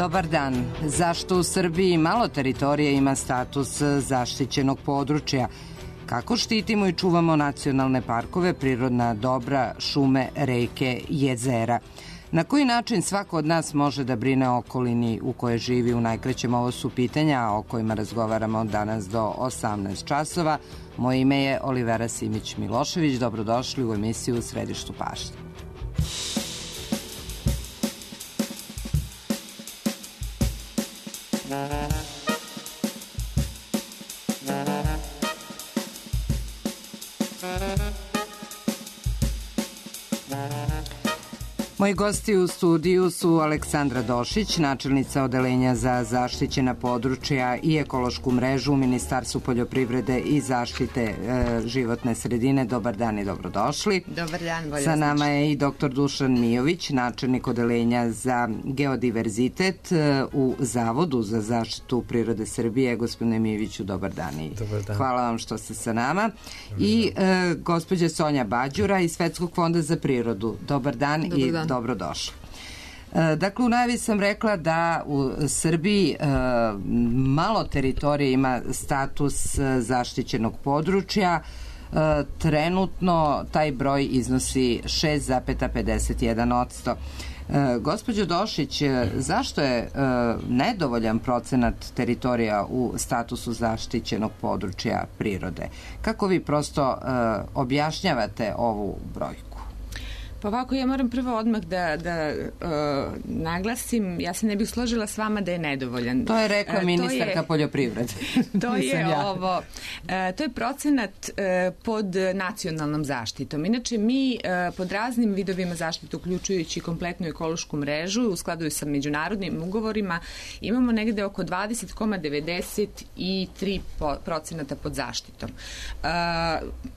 Dobar dan. Zašto u Srbiji malo teritorije ima status zaštićenog područja? Kako štitimo i čuvamo nacionalne parkove, prirodna dobra, šume, reke, jezera? Na koji način svako od nas može da brine o okolini u kojoj živi? U najkraćem, ovo su pitanja o kojima razgovaramo danas do 18 časova. Moje ime je Olivera Simić-Milošević. Dobrodošli u emisiju U središtu pažnje. Moji gosti u studiju su Aleksandra Došić, načelnica Odeljenja za zaštićena područja i ekološku mrežu u Ministarstvu poljoprivrede i zaštite životne sredine. Dobar dan i dobrodošli. Dobar dan, bolje. Sa nama je i dr. Dušan Mijović, načelnik Odeljenja za geodiverzitet u Zavodu za zaštitu prirode Srbije. Gospodine Mijoviću, dobar dan i hvala vam što ste sa nama. I gospođa Sonja Bađura iz Svetskog fonda za prirodu. Dobar dan i dobrodošli. Dakle, u najavi sam rekla da u Srbiji malo teritorije ima status zaštićenog područja. Trenutno taj broj iznosi 6,51%. Gospođo Došić, zašto je nedovoljan procenat teritorija u statusu zaštićenog područja prirode? Kako vi prosto objašnjavate ovu brojku? Pa ovako, ja moram prvo odmah da naglasim, ja se ne bih složila s vama da je nedovoljan. To je rekla ministarka poljoprivrede. To je procenat pod nacionalnom zaštitom. Inače, mi pod raznim vidovima zaštite, uključujući kompletnu ekološku mrežu, u skladu sa međunarodnim ugovorima, imamo negde oko 20,93% pod zaštitom.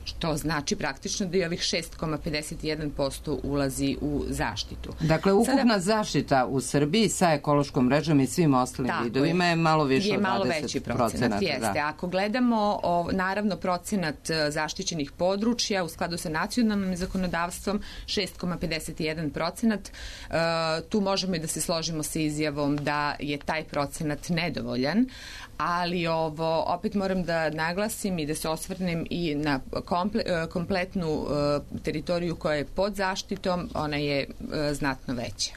Što znači praktično da je ovih 6,51% ulazi u zaštitu. Dakle, ukupna zaštita u Srbiji sa ekološkom mrežom i svim ostalim vidovima je malo više od 20%. Je malo veći procenat, jeste. Da. Ako gledamo, naravno, procenat zaštićenih područja u skladu sa nacionalnim zakonodavstvom, 6,51%, tu možemo i da se složimo sa izjavom da je taj procenat nedovoljan, ali opet moram da naglasim i da se osvrnem i na kompletnu teritoriju koja je pod zaštitom, ona je znatno veća.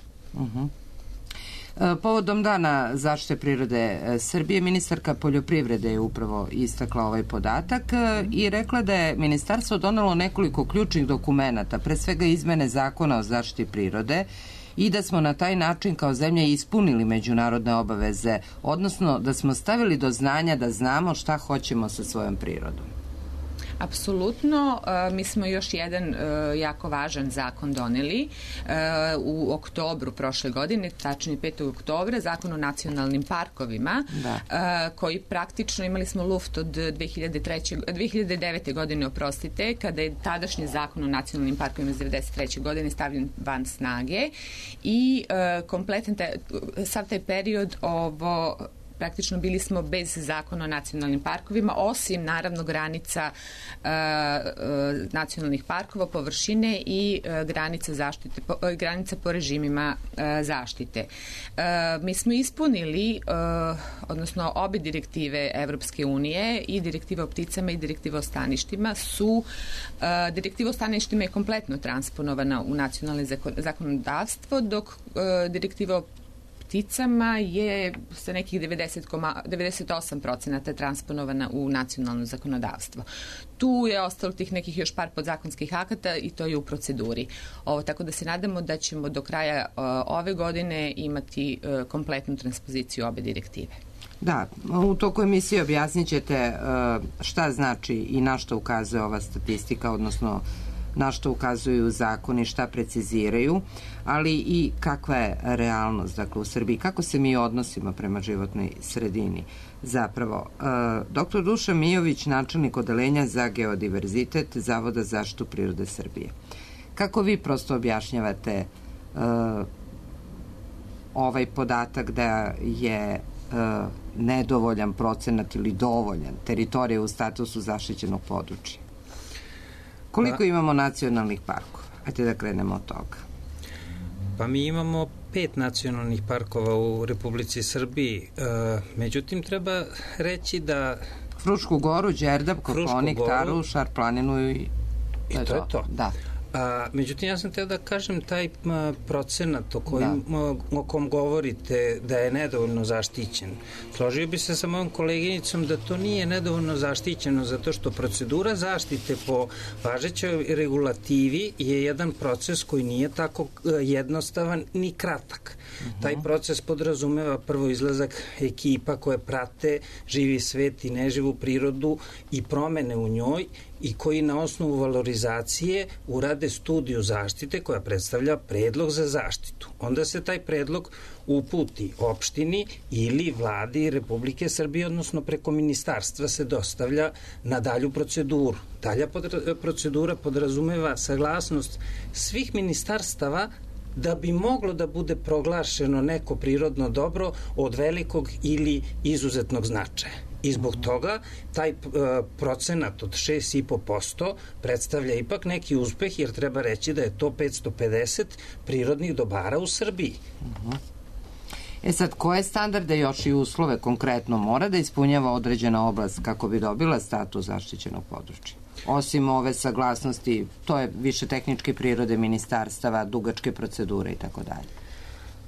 Povodom Dana zaštite prirode Srbije, ministarka poljoprivrede je upravo istakla ovaj podatak i rekla da je ministarstvo donelo nekoliko ključnih dokumenata, pre svega izmene zakona o zaštiti prirode, i da smo na taj način kao zemlja ispunili međunarodne obaveze, odnosno da smo stavili do znanja da znamo šta hoćemo sa svojom prirodom. Apsolutno, mi smo još jedan jako važan zakon doneli u oktobru prošle godine, tačnije 5. oktobra, zakon o nacionalnim parkovima, koji praktično imali smo luft od 2009. godine, kada je tadašnji zakon o nacionalnim parkovima iz 1993. godine stavljen van snage i kompletan sav taj period praktično bili smo bez zakona o nacionalnim parkovima, osim naravno granica nacionalnih parkova, površine i granica po režimima zaštite. Mi smo ispunili, odnosno obe direktive Evropske unije, i direktiva o pticama i direktiva o staništima direktiva o staništima je kompletno transponovana u nacionalno zakonodavstvo, dok direktiva o pticama je sa nekih 98% transponovana u nacionalno zakonodavstvo. Tu je ostalo tih nekih još par podzakonskih akata i to je u proceduri. Tako da se nadamo da ćemo do kraja ove godine imati kompletnu transpoziciju obe direktive. Da, u toku emisije objasnit ćete šta znači i na što ukazuje ova statistika, odnosno na što ukazuju zakoni, šta preciziraju, ali i kakva je realnost, dakle, u Srbiji, kako se mi odnosimo prema životnoj sredini. Zapravo, dr. Dušan Mijović, načelnik Odeljenja za geodiverzitet Zavoda za zaštitu prirode Srbije. Kako vi prosto objašnjavate ovaj podatak da je nedovoljan procenat ili dovoljan teritorija u statusu zaštićenog područja? Koliko imamo nacionalnih parkova? Ajde da krenemo od toga. Pa mi imamo 5 nacionalnih parkova u Republici Srbiji. Međutim, treba reći da... Frušku goru, Đerdap, Kopaonik, Taru, Šar planinu i to je to. Da. Međutim, ja sam teo da kažem taj procenat o kom govorite da je nedovoljno zaštićen. Složio bi se sa mojom koleginicom da to nije nedovoljno zaštićeno zato što procedura zaštite po važećoj regulativi je jedan proces koji nije tako jednostavan ni kratak. Taj proces podrazumeva prvo izlazak ekipa koje prate živi svet i neživu prirodu i promene u njoj i koji na osnovu valorizacije urade studiju zaštite koja predstavlja predlog za zaštitu. Onda se taj predlog uputi opštini ili vladi Republike Srbije, odnosno preko ministarstva se dostavlja na dalju proceduru. Dalja procedura podrazumeva saglasnost svih ministarstava da bi moglo da bude proglašeno neko prirodno dobro od velikog ili izuzetnog značaja. I zbog toga taj procenat od 6,5% predstavlja ipak neki uspeh, jer treba reći da je to 550 prirodnih dobara u Srbiji. Sad, koje standarde još i uslove konkretno mora da ispunjava određena oblast kako bi dobila status zaštićenog područja? Osim ove saglasnosti, to je više tehničke prirode ministarstava, dugačke procedure i tako dalje.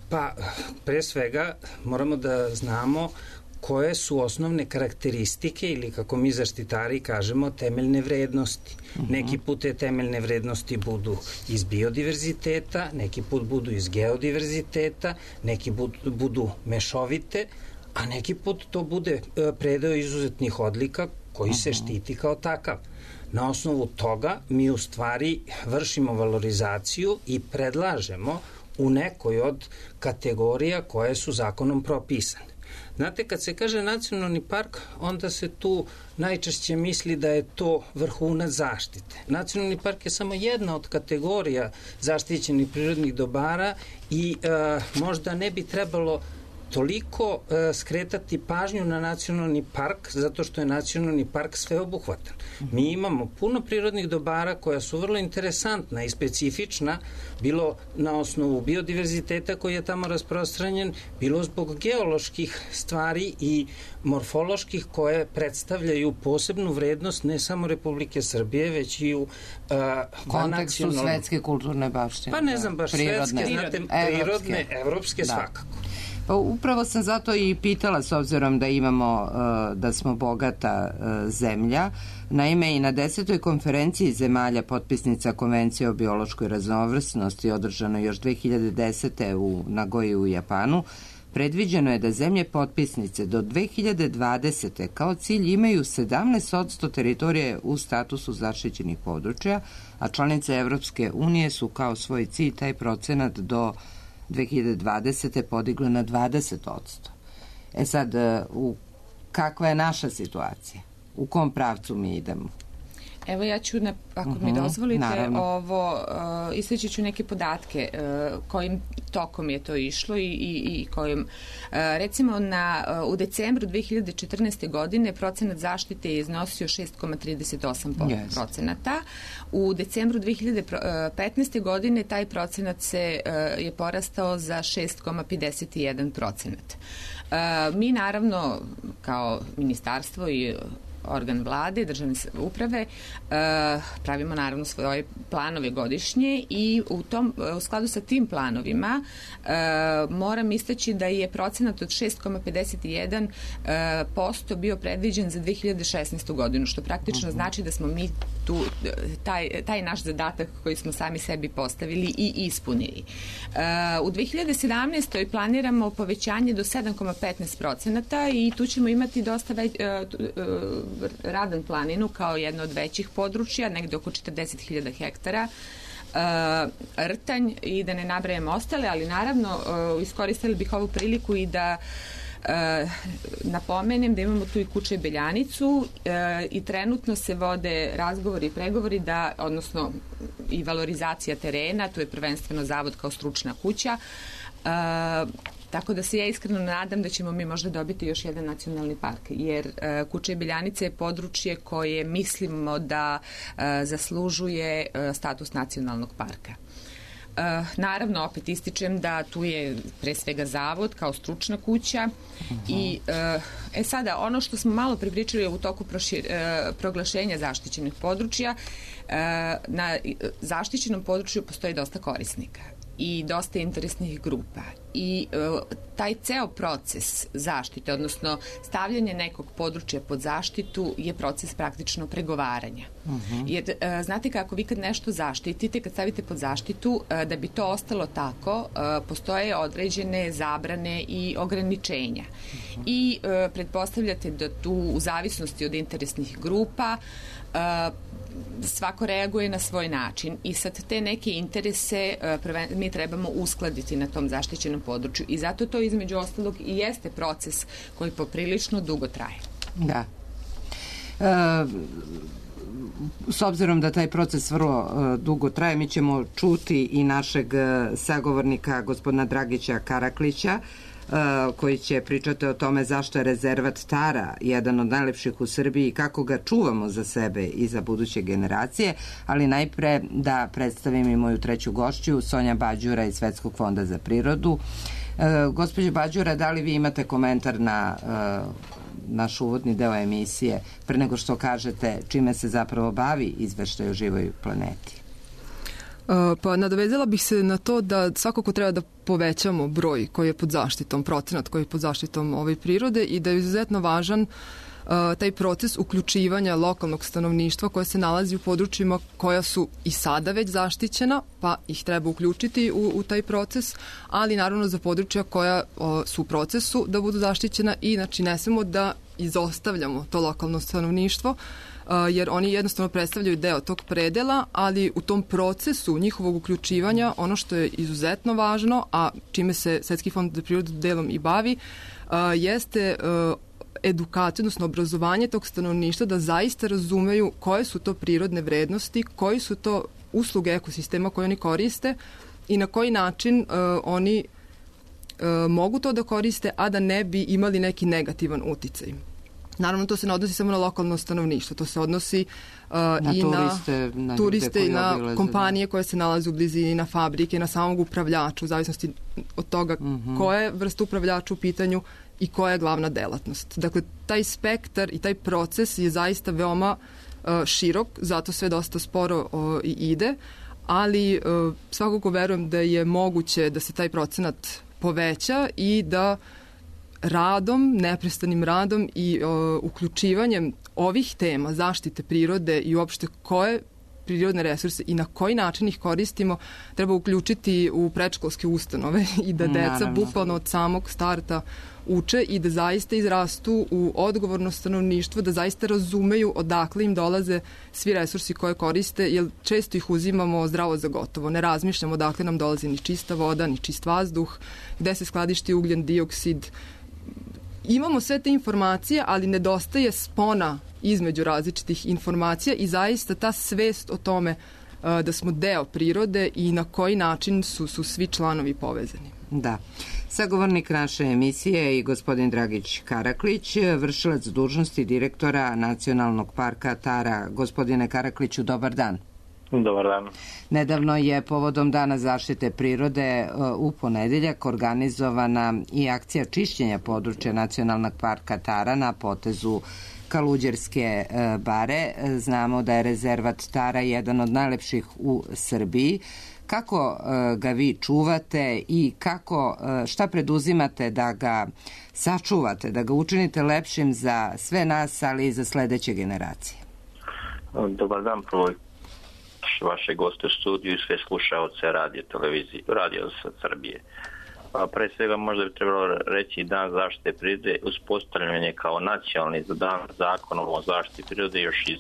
Pa, pre svega moramo da znamo koje su osnovne karakteristike ili, kako mi zaštitari kažemo, temeljne vrednosti. Neki put te temeljne vrednosti budu iz biodiverziteta, neki put budu iz geodiverziteta, neki budu mešovite, a neki put to bude predeo izuzetnih odlika koji se štiti kao takav. Na osnovu toga mi u stvari vršimo valorizaciju i predlažemo u nekoj od kategorija koje su zakonom propisane. Znate, kad se kaže nacionalni park, onda se tu najčešće misli da je to vrhunac zaštite. Nacionalni park je samo jedna od kategorija zaštićenih prirodnih dobara i možda ne bi trebalo toliko skretati pažnju na nacionalni park, zato što je nacionalni park sveobuhvatan. Mi imamo puno prirodnih dobara koja su vrlo interesantna i specifična, bilo na osnovu biodiverziteta koji je tamo rasprostranjen, bilo zbog geoloških stvari i morfoloških koje predstavljaju posebnu vrednost ne samo Republike Srbije, već i u kontekstu svetske kulturne baštine. Pa ne znam baš svetske, znate, prirodne, evropske svakako. Pa upravo sam zato i pitala, s obzirom da imamo, da smo bogata zemlja. Naime, i na 10. konferenciji zemalja potpisnica Konvencije o biološkoj raznovrsnosti, održano još 2010. u Nagoji u Japanu, predviđeno je da zemlje potpisnice do 2020. kao cilj imaju 17% teritorije u statusu zaštićenih područja, a članice Evropske unije su kao svoj cilj taj procenat do 2020. podigle na 20%. Sad, kakva je naša situacija? U kom pravcu mi idemo? Evo ja ću, ako mi dozvolite, isteći ću neke podatke kojim tokom je to išlo i kojim, recimo u decembru 2014. godine procenat zaštite je iznosio 6,38%. U decembru 2015. godine taj procenat je porastao za 6,51%. Mi naravno kao ministarstvo i organ vlade, državne uprave, pravimo naravno svoje planove godišnje i u skladu sa tim planovima moram istaći da je procenat od 6,51% bio predviđen za 2016. godinu, što praktično znači da smo mi taj naš zadatak koji smo sami sebi postavili i ispunili. U 2017. planiramo povećanje do 7,15% i tu ćemo imati dosta Radan planinu kao jedno od većih područja, negde oko 40.000 hektara, Rtanj i da ne nabrajamo ostale, ali naravno iskoristili bih ovu priliku i da napomenem da imamo tu i Kuče Beljanicu i trenutno se vode razgovori i pregovori odnosno i valorizacija terena, tu je prvenstveno zavod kao stručna kuća, tako da se ja iskreno nadam da ćemo mi možda dobiti još jedan nacionalni park, jer Kuče Beljanica je područje koje mislimo da zaslužuje status nacionalnog parka. Naravno, opet ističem da tu je pre svega zavod kao stručna kuća i sada ono što smo malo pripričali u toku proglašenja zaštićenih područja, na zaštićenom području postoji dosta korisnika i dosta interesnih grupa i taj ceo proces zaštite, odnosno stavljanje nekog područja pod zaštitu je proces praktično pregovaranja. Jer znate kako, vi kad nešto zaštitite, kad stavite pod zaštitu, da bi to ostalo tako, postoje određene zabrane i ograničenja. I pretpostavljate da tu u zavisnosti od interesnih grupa svako reaguje na svoj način i sad te neke interese mi trebamo uskladiti na tom zaštićenom području i zato to između ostalog i jeste proces koji poprilično dugo traje. Da. S obzirom da taj proces vrlo dugo traje, mi ćemo čuti i našeg sagovornika gospodina Dragića Karaklića, koji će pričati o tome zašto je rezervat Tara jedan od najlepših u Srbiji i kako ga čuvamo za sebe i za buduće generacije, ali najpre da predstavim i moju treću gošću, Sonja Bađura iz Svetskog fonda za prirodu. Gospođo Bađura, da li vi imate komentar na naš uvodni deo emisije pre nego što kažete čime se zapravo bavi izveštaj o živoj planeti? Pa nadovezala bih se na to da svakako treba da povećamo broj koji je pod zaštitom, procenat koji je pod zaštitom ove prirode i da je izuzetno važan taj proces uključivanja lokalnog stanovništva koje se nalazi u područjima koja su i sada već zaštićena, pa ih treba uključiti u taj proces, ali naravno za područja koja su u procesu da budu zaštićena i znači ne smemo da izostavljamo to lokalno stanovništvo, jer oni jednostavno predstavljaju deo tog predela, ali u tom procesu njihovog uključivanja ono što je izuzetno važno, a čime se Svetski fond za prirodu delom i bavi, jeste edukacija, odnosno obrazovanje tog stanovništva da zaista razumeju koje su to prirodne vrednosti, koji su to usluge ekosistema koje oni koriste i na koji način oni mogu to da koriste, a da ne bi imali neki negativan uticaj. Naravno, to se ne odnosi samo na lokalno stanovništvo, to se odnosi i na turiste i na kompanije koje se nalaze u blizini, na fabrike, na samog upravljača, u zavisnosti od toga koja je vrsta upravljača u pitanju i koja je glavna delatnost. Dakle, taj spektar i taj proces je zaista veoma širok, zato sve dosta sporo i ide, ali svakako verujem da je moguće da se taj procenat poveća i da radom, neprestanim radom i uključivanjem ovih tema zaštite prirode i uopšte koje prirodne resurse i na koji način ih koristimo treba uključiti u predškolske ustanove i da deca bukvalno od samog starta uče i da zaista izrastu u odgovorno stanovništvo, da zaista razumeju odakle im dolaze svi resursi koje koriste, jer često ih uzimamo zdravo za gotovo. Ne razmišljamo odakle nam dolazi ni čista voda, ni čist vazduh, gde se skladišti ugljen dioksid. Imamo sve te informacije, ali nedostaje spona između različitih informacija i zaista ta svest o tome da smo deo prirode i na koji način su svi članovi povezani. Da. Sagovornik naše emisije i gospodin Dragić Karaklić, vršilac dužnosti direktora Nacionalnog parka Tara. Gospodine Karakliću, dobar dan. Dobar dan. Nedavno je povodom Dana zaštite prirode u ponedeljak organizovana i akcija čišćenja područja Nacionalnog parka Tara na potezu Kaluđerske bare. Znamo da je rezervat Tara jedan od najlepših u Srbiji. Kako ga vi čuvate i šta preduzimate da ga sačuvate, da ga učinite lepšim za sve nas, ali i za sledeće generacije? Dobar dan, prvo vaše goste u studiju i sve slušaoce radio Srbije. Pre svega možda bi trebalo reći Dan zaštite prirode uspostavljanje kao nacionalni dan zakonom o zaštiti prirode još iz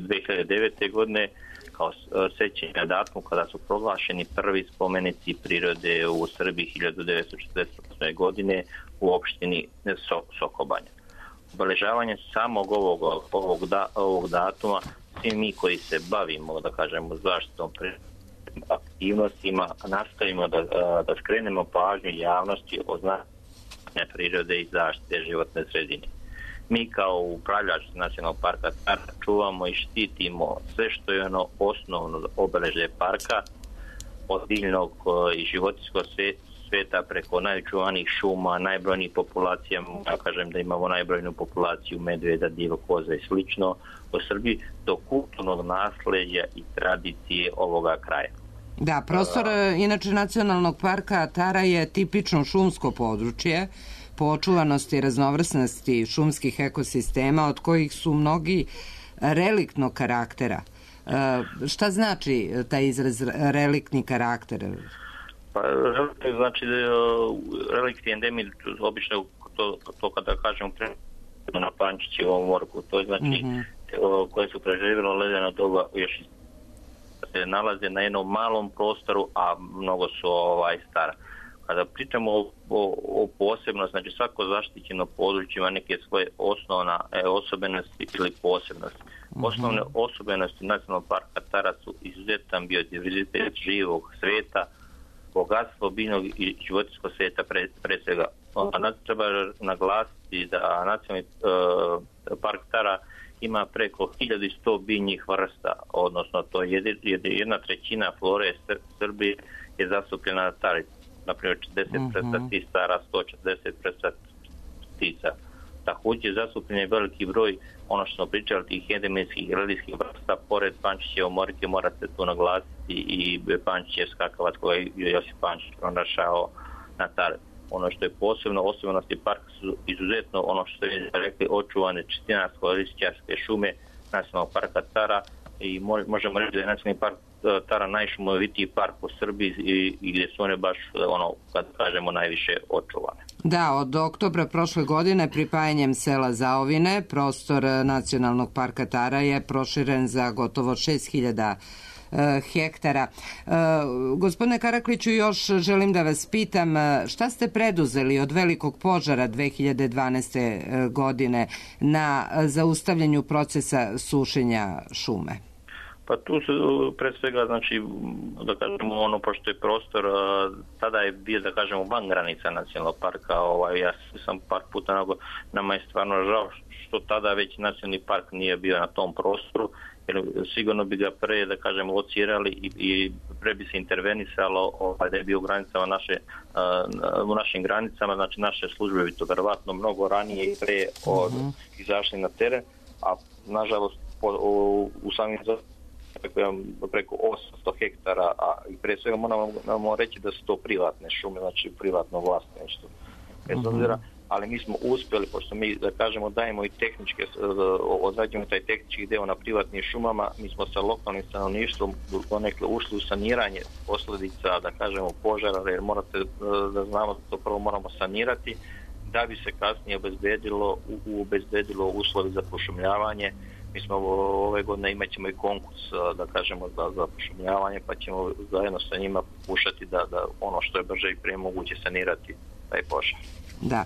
2009. godine kao sećanje datumu kada su proglašeni prvi spomenici prirode u Srbiji 1948. godine u opštini Sokobanja. Obeležavanje samog ovog datuma svi mi koji se bavimo, da kažemo, zaštitom aktivnostima, nastavimo da skrenemo pažnju javnosti o značenju prirode i zaštite životne sredine. Mi kao upravljač Nacionalnog parka čuvamo i štitimo sve što je ono osnovno obeležje parka, od biljnog i životinjskog sveta preko najočuvanijih šuma, najbrojnijih populacija, ja kažem da imamo najbrojniju populaciju medveda, divljih koza i slično u Srbiji, do kulturnog nasleđa i tradicije ovoga kraja. Da, prostor inače Nacionalnog parka Tara je tipično šumsko područje po očuvanosti i raznovrsnosti šumskih ekosistema od kojih su mnogi reliktnog karaktera. Šta znači taj izraz reliktni karakter? Pa relikt znači relikt je endemij, obično to kada kažemo na Pančićevom morku, to je znači koje su preživjelo ledeno doba još se nalaze na jednom malom prostoru, a mnogo su stara. Kada pričamo o posebnosti, znači svako zaštićeno područje ima neke svoje osnovne osobenosti ili posebnosti. Osnovne osobenosti Nacionalnog parka Tara su izuzetan biodiverzitet živog sveta, bogatstvo biljnog i životinjskog sveta pre svega. Treba naglasiti da Nacionalni park Tara ima preko 1100 biljnih vrsta, odnosno to je 1/3 flore Srbije je zastupljena na Tari. Naprimjer, 40 vrsta stara, 140 vrsta ptica. Također je zastupljen veliki broj, ono što smo pričali, tih endemijskih i religijskih vrsta, pored Pančićeve morke morate tu naglasiti i Pančićev skakavac koji je Josip Pančić pronašao na Tari. Ono što je posebno osobenosti parka su izuzetno, ono što je rekli, očuvane četinarsko-lišćarske šume Nacionalnog parka Tara i možemo reći da je Nacionalni park Tara najšumovitiji park u Srbiji i gdje su one baš, kad kažemo, najviše očuvane. Da, od oktobra prošle godine pripajanjem sela Zaovine prostor Nacionalnog parka Tara je proširen za gotovo 6000 hektara. Gospodine Karakliću, još želim da vas pitam šta ste preduzeli od velikog požara 2012. godine na zaustavljanju procesa sušenja šume? Pa tu su pre svega, znači, da kažemo, pošto je prostor, tada je bio, da kažemo, van granica nacionalnog parka, ja sam par puta, nama je stvarno žao što tada već nacionalni park nije bio na tom prostoru, jer sigurno bi ga pre, da kažemo, locirali i pre bi se intervenisalo da je bio u našim granicama, znači naše službe bi to verovatno mnogo ranije i pre izašli na teren, a nažalost u samim preko 800 hektara, a i pre svega moramo reći da su to privatne šume, znači privatno vlasništvo. Bez obzira, ali mi smo uspjeli, pošto mi, da kažemo, dajemo i tehničke, odrađujemo taj tehnički deo na privatnim šumama, mi smo sa lokalnim stanovništvom donekle ušli u saniranje posljedica, da kažemo, požara, jer morate da znamo da to prvo moramo sanirati, da bi se kasnije obezbedilo uslovi za pošumljavanje. Mi smo ove godine imat ćemo i konkurs, da kažemo, za pošumljavanje, pa ćemo zajedno sa njima pokušati da ono što je brže i prije moguće sanirati taj požar. Da.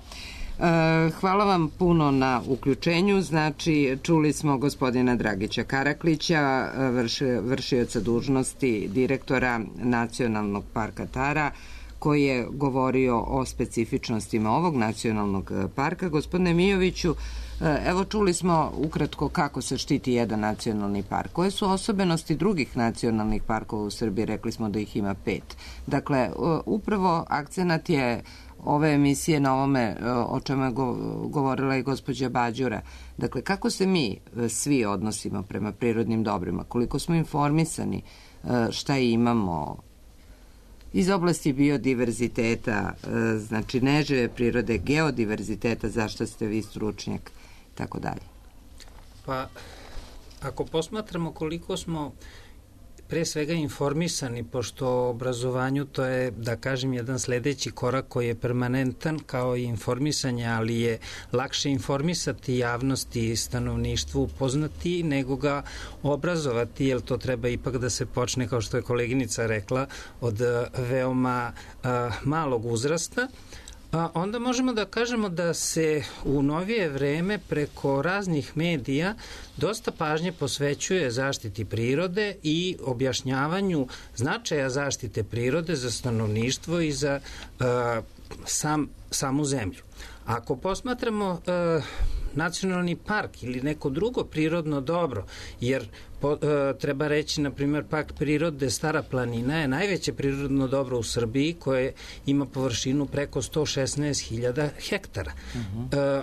Hvala vam puno na uključenju. Znači, čuli smo gospodina Dragića Karaklića, vršioca dužnosti direktora Nacionalnog parka Tara, koji je govorio o specifičnostima ovog nacionalnog parka. Gospodine Mijoviću, evo čuli smo ukratko kako se štiti jedan nacionalni park. Koje su osobenosti drugih nacionalnih parkova u Srbiji? Rekli smo da ih ima 5. Dakle, upravo akcenat je ove emisije na ovome o čemu je govorila i gospođa Bađura. Dakle, kako se mi svi odnosimo prema prirodnim dobrima, koliko smo informisani, šta imamo iz oblasti biodiverziteta, znači nežive prirode, geodiverziteta, zašto ste vi stručnjak, tako dalje. Pa, ako posmatramo koliko smo pre svega informisani, pošto obrazovanju to je, da kažem, jedan sledeći korak koji je permanentan kao i informisanje, ali je lakše informisati javnosti i stanovništvu, upoznati, nego ga obrazovati, jer to treba ipak da se počne, kao što je koleginica rekla, od veoma malog uzrasta. Onda možemo da kažemo da se u novije vreme preko raznih medija dosta pažnje posvećuje zaštiti prirode i objašnjavanju značaja zaštite prirode za stanovništvo i za samu zemlju. Ako posmatramo nacionalni park ili neko drugo prirodno dobro, jer treba reći, na primjer, park prirode Stara planina je najveće prirodno dobro u Srbiji koje ima površinu preko 116.000 hektara.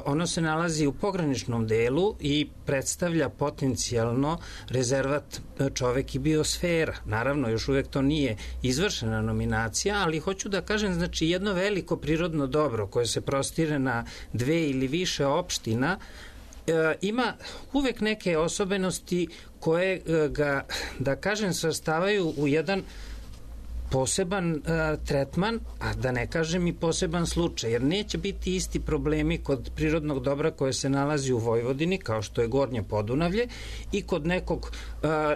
Ono se nalazi u pograničnom delu i predstavlja potencijalno rezervat čovek i biosfera. Naravno, još uvek to nije izvršena nominacija, ali hoću da kažem, znači, jedno veliko prirodno dobro koje se prostire na 2 ili više opština ima uvek neke osobenosti koje ga, da kažem, svrstavaju u jedan poseban tretman, a da ne kažem i poseban slučaj, jer neće biti isti problemi kod prirodnog dobra koje se nalazi u Vojvodini, kao što je Gornje Podunavlje, i kod nekog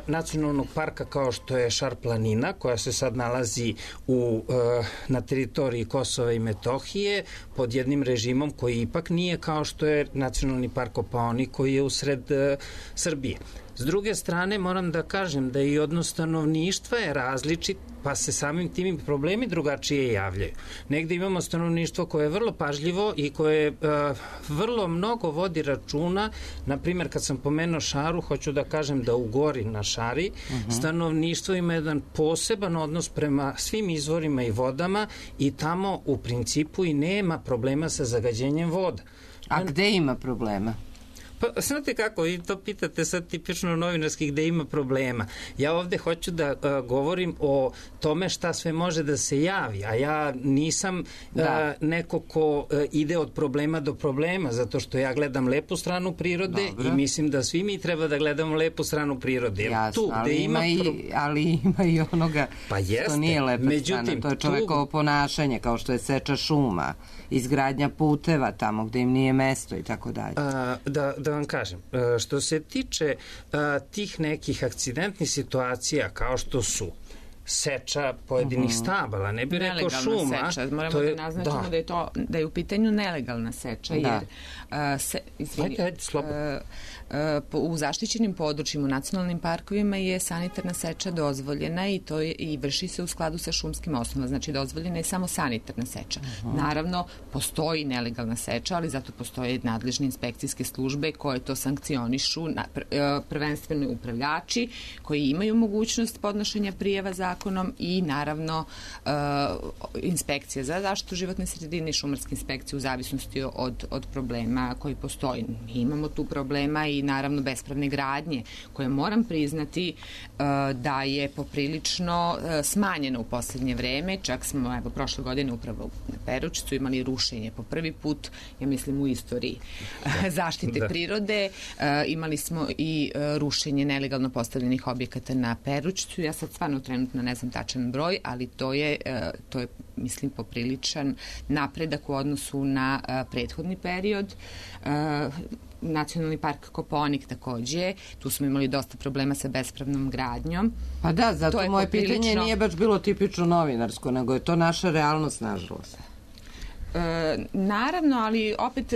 nacionalnog parka kao što je Šar planina, koja se sad nalazi na teritoriji Kosova i Metohije, pod jednim režimom koji ipak nije kao što je nacionalni park Kopaonik, koji je usred Srbije. S druge strane, moram da kažem da i odnos stanovništva je različit, pa se samim tim problemi drugačije javljaju. Negde imamo stanovništvo koje je vrlo pažljivo i koje vrlo mnogo vodi računa. Naprimjer, kad sam pomenuo Šaru, hoću da kažem da u Gori na Šari stanovništvo ima jedan poseban odnos prema svim izvorima i vodama i tamo u principu i nema problema sa zagađenjem voda. A gde ima problema? Pa, znate kako, vi to pitate sad tipično novinarski gde ima problema. Ja ovde hoću da govorim o tome šta sve može da se javi, a ja nisam neko ko ide od problema do problema, zato što ja gledam lepu stranu prirode. Dobro. I mislim da svi mi treba da gledamo lepu stranu prirode. Jasno, tu, ali ima i onoga što nije lepa strana. To je čovekovo ponašanje, kao što je seča šuma, izgradnja puteva tamo gde im nije mesto i tako dalje. Da vam kažem, što se tiče tih nekih akcidentnih situacija kao što su seča pojedinih stabala, ne bi rekao šuma. Nelegalna seča, moramo da naznačimo da je u pitanju nelegalna seča, jer u zaštićenim područjima, u nacionalnim parkovima je sanitarna seča dozvoljena i to i vrši se u skladu sa šumskim osnovama, znači dozvoljena je samo sanitarna seča. Naravno, postoji nelegalna seča, ali zato postoje nadležne inspekcijske službe koje to sankcionišu, prvenstveno upravljači koji imaju mogućnost podnošenja prijava zakonom i naravno inspekcija za zaštitu životne sredine i šumarske inspekcije u zavisnosti od problema koji postoji. Mi imamo tu problema i naravno bespravne gradnje koje moram priznati da je poprilično smanjeno u poslednje vreme. Čak smo prošle godine upravo na Perućcu imali rušenje po prvi put, ja mislim, u istoriji zaštite prirode. Imali smo i rušenje nelegalno postavljenih objekata na Perućcu. Ja sad stvarno trenutno ne znam tačan broj, ali to je mislim, popriličan napredak u odnosu na prethodni period. Nacionalni park Kopaonik takođe, tu smo imali dosta problema sa bespravnom gradnjom. Pa da, zato moje pitanje nije baš bilo tipično novinarsko, nego je to naša realnost, nažalost. Naravno, ali opet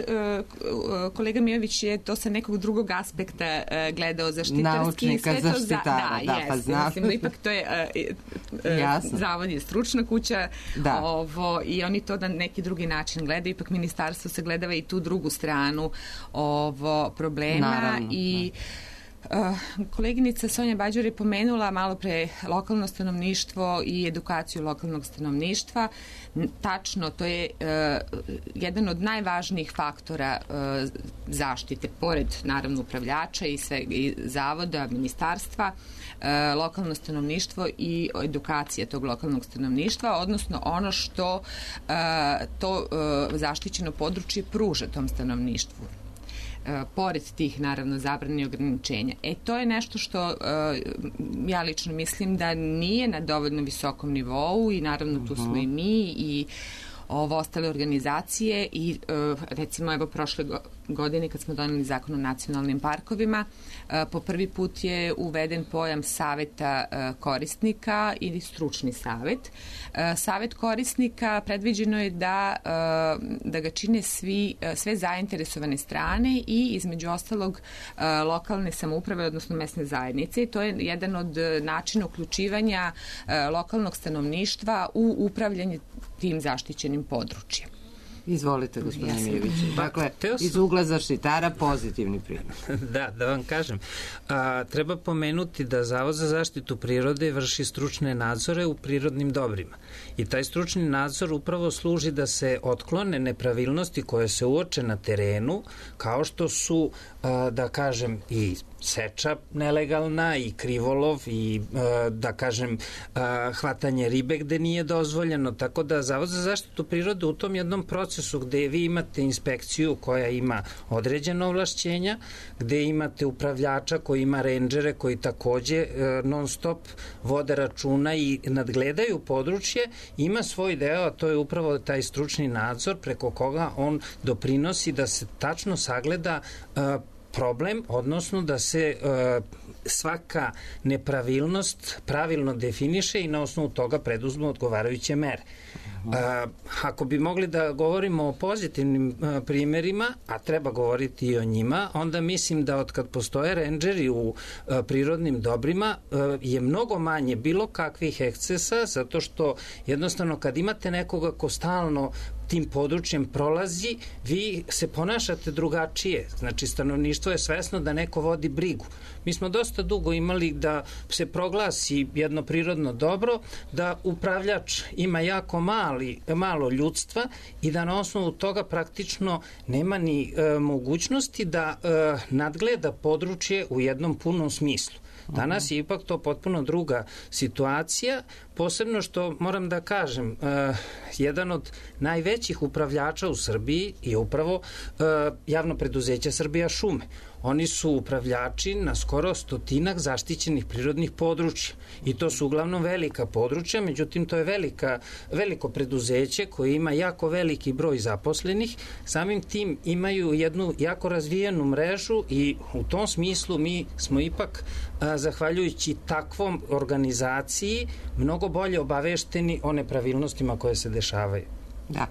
kolega Mijović je to sa nekog drugog aspekta gledao zaštitarski. Naučnika, zaštitara, pa znam. Mislim, ipak to je zavod je stručna kuća i oni to na neki drugi način gledaju. Ipak ministarstvo se gledava i tu drugu stranu problema. Naravno, i koleginica Sonja Bađur je pomenula malo pre lokalno stanovništvo i edukaciju lokalnog stanovništva. Tačno, to je jedan od najvažnijih faktora zaštite, pored naravno upravljača i zavoda, ministarstva, lokalno stanovništvo i edukacija tog lokalnog stanovništva, odnosno ono što to zaštićeno područje pruža tom stanovništvu. Pored tih, naravno, zabrane i ograničenja. To je nešto što ja lično mislim da nije na dovoljno visokom nivou i naravno tu smo i mi i ostale organizacije i recimo evo prošle godine kad smo doneli zakon o nacionalnim parkovima, po prvi put je uveden pojam saveta korisnika ili stručni savet. Savet korisnika predviđeno je da ga čine sve zainteresovane strane i između ostalog lokalne samouprave, odnosno mesne zajednice. To je jedan od načina uključivanja lokalnog stanovništva u upravljanje tim zaštićenim područjem. Izvolite, gospodine Mijoviću. Dakle, iz ugla zaštitara pozitivni primjer. Da vam kažem. Treba pomenuti da Zavod za zaštitu prirode vrši stručne nadzore u prirodnim dobrima. I taj stručni nadzor upravo služi da se otklone nepravilnosti koje se uoče na terenu, kao što su, da kažem, i seča nelegalna i krivolov i, da kažem, hvatanje ribe gde nije dozvoljeno. Tako da Zavod za zaštitu prirode u tom jednom procesu gde vi imate inspekciju koja ima određena ovlašćenja, gde imate upravljača koji ima rendžere koji takođe non stop vode računa i nadgledaju područje, ima svoj deo, a to je upravo taj stručni nadzor preko koga on doprinosi da se tačno sagleda problem, odnosno da se svaka nepravilnost pravilno definiše i na osnovu toga preduzmu odgovarajuće mere. Ako bi mogli da govorimo o pozitivnim primerima, a treba govoriti i o njima, onda mislim da od kad postoje rendžeri u prirodnim dobrima je mnogo manje bilo kakvih ekscesa, zato što jednostavno kad imate nekoga ko stalno tim područjem prolazi, vi se ponašate drugačije. Znači, stanovništvo je svesno da neko vodi brigu. Mi smo dosta dugo imali da se proglasi jedno prirodno dobro, da upravljač ima jako malo ljudstva i da na osnovu toga praktično nema ni mogućnosti da nadgleda područje u jednom punom smislu. Danas je ipak to potpuno druga situacija, posebno što moram da kažem, jedan od najvećih upravljača u Srbiji je upravo javno preduzeće Srbija šume. Oni su upravljači na skoro 100 zaštićenih prirodnih područja i to su uglavnom velika područja, međutim to je veliko preduzeće koje ima jako veliki broj zaposlenih, samim tim imaju jednu jako razvijenu mrežu i u tom smislu mi smo ipak, zahvaljujući takvom organizaciji, mnogo bolje obavešteni o nepravilnostima koje se dešavaju. Da.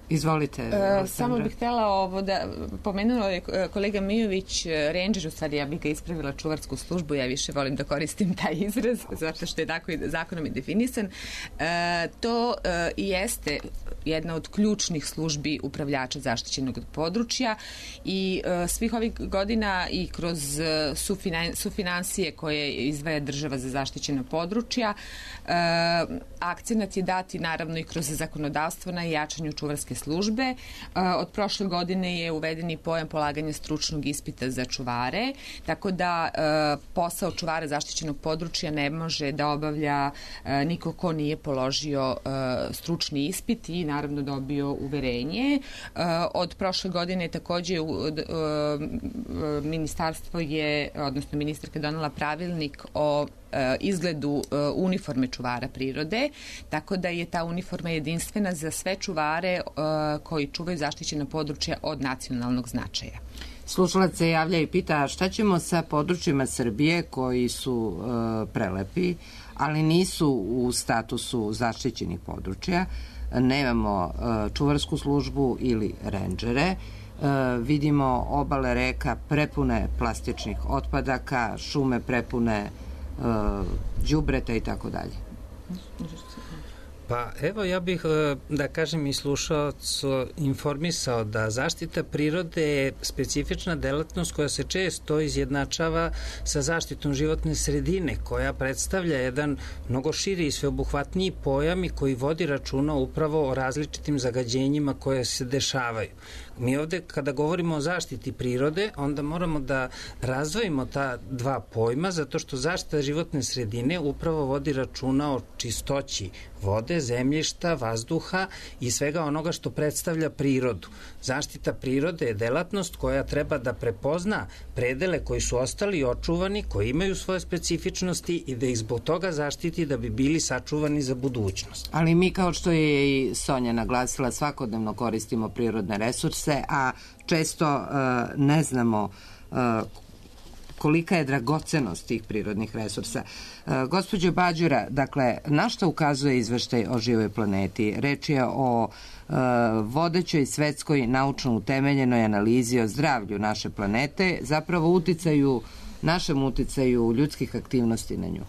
Izvolite. Samo bih htjela ovo da pomenuo je kolega Mijović ranger, u stvari ja bih ga ispravila čuvarsku službu, ja više volim da koristim taj izraz zato što je tako i zakonom i definisan. To jeste jedna od ključnih službi upravljača zaštićenog područja i svih ovih godina i kroz sufinansije koje izdvaja država za zaštićena područja, akcenat je dati naravno i kroz zakonodavstvo na jačanju čuvarske službe. Od prošle godine je uveden i pojam polaganja stručnog ispita za čuvare, tako da posao čuvara zaštićenog područja ne može da obavlja niko ko nije položio stručni ispit i naravno dobio uverenje. Od prošle godine takođe ministarstvo je, odnosno ministarka donela pravilnik o izgledu uniforme čuvara prirode, tako da je ta uniforma jedinstvena za sve čuvare koji čuvaju zaštićena područja od nacionalnog značaja. Slušalac se javlja i pita šta ćemo sa područjima Srbije koji su prelepi, ali nisu u statusu zaštićenih područja, nemamo čuvarsku službu ili rendžere, vidimo obale reka prepune plastičnih otpadaka, šume prepune đubreta i tako dalje. Pa evo ja bih, da kažem, i slušaocu informisao da zaštita prirode je specifična delatnost koja se često izjednačava sa zaštitom životne sredine, koja predstavlja jedan mnogo širi i sveobuhvatniji pojam i koji vodi računa upravo o različitim zagađenjima koje se dešavaju. Mi ovde kada govorimo o zaštiti prirode, onda moramo da razdvojimo ta dva pojma, zato što zaštita životne sredine upravo vodi računa o čistoći vode, zemljišta, vazduha i svega onoga što predstavlja prirodu. Zaštita prirode je delatnost koja treba da prepozna predele koji su ostali očuvani, koji imaju svoje specifičnosti i da ih zbog toga zaštiti da bi bili sačuvani za budućnost. Ali mi, kao što je i Sonja naglasila, svakodnevno koristimo prirodne resurse, a često ne znamo kolika je dragocenost tih prirodnih resursa. Gospođo Bađura, dakle, na šta ukazuje izveštaj o živoj planeti? Reč je o vodećoj svetskoj naučno utemeljenoj analizi o zdravlju naše planete, zapravo našem uticaju ljudskih aktivnosti na nju.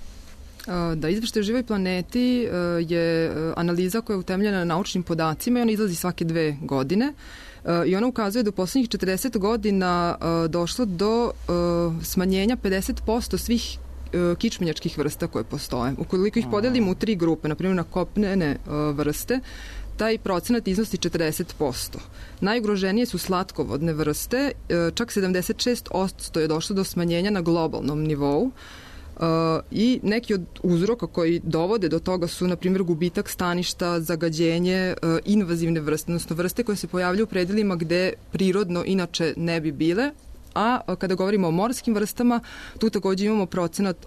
Da, izveštaj o živoj planeti je analiza koja je utemeljena na naučnim podacima i ona izlazi svake 2 godine. I ona ukazuje da u poslednjih 40 godina došlo do smanjenja 50% svih kičmenjačkih vrsta koje postoje. Ukoliko ih podelimo u 3 grupe, na primjer na kopnene vrste, taj procenat iznosi 40%. Najugroženije su slatkovodne vrste, čak 76% je došlo do smanjenja na globalnom nivou. I neki od uzroka koji dovode do toga su, na primjer, gubitak staništa, zagađenje, invazivne vrste, odnosno vrste koje se pojavljaju u predelima gde prirodno inače ne bi bile, a kada govorimo o morskim vrstama, tu takođe imamo procenat